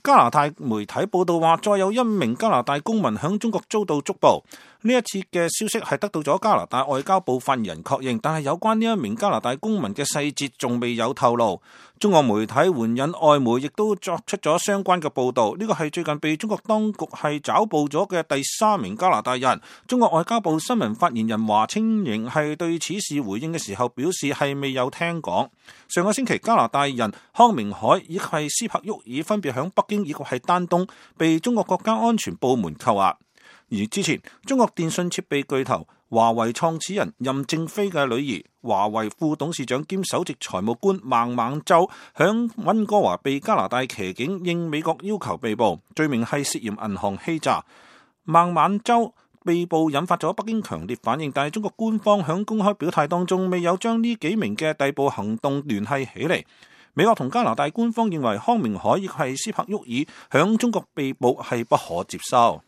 加拿大媒體報道話，再有一名加拿大公民響中國遭到捉捕。呢一次嘅消息係得到咗加拿大外交部發言人確認，但係有關呢一名加拿大公民嘅細節仲未有透露。中國媒體援引外媒亦都作出咗相關嘅報道。呢個係最近被中國當局係抓捕咗嘅第3名加拿大人。中國外交部新聞發言人華清瑩係對此事回應嘅時候表示係未有聽講。上個星期加拿大人康明凱以及係斯帕沃爾分別響北京以及係丹東被中國國家安全部門扣押。而之前，中國電信設備巨頭華為創始人任正非嘅女兒、華為副董事長兼首席財務官孟晚舟響溫哥華被加拿大騎警應美國要求被捕，罪名係涉嫌銀行欺詐。孟晚舟被捕引發咗北京強烈反應，但係中國官方響公開表態當中未有將呢幾名嘅逮捕行動聯繫起嚟。美國同加拿大官方認為康明凱亦係斯帕沃爾響中國被捕係不可接受。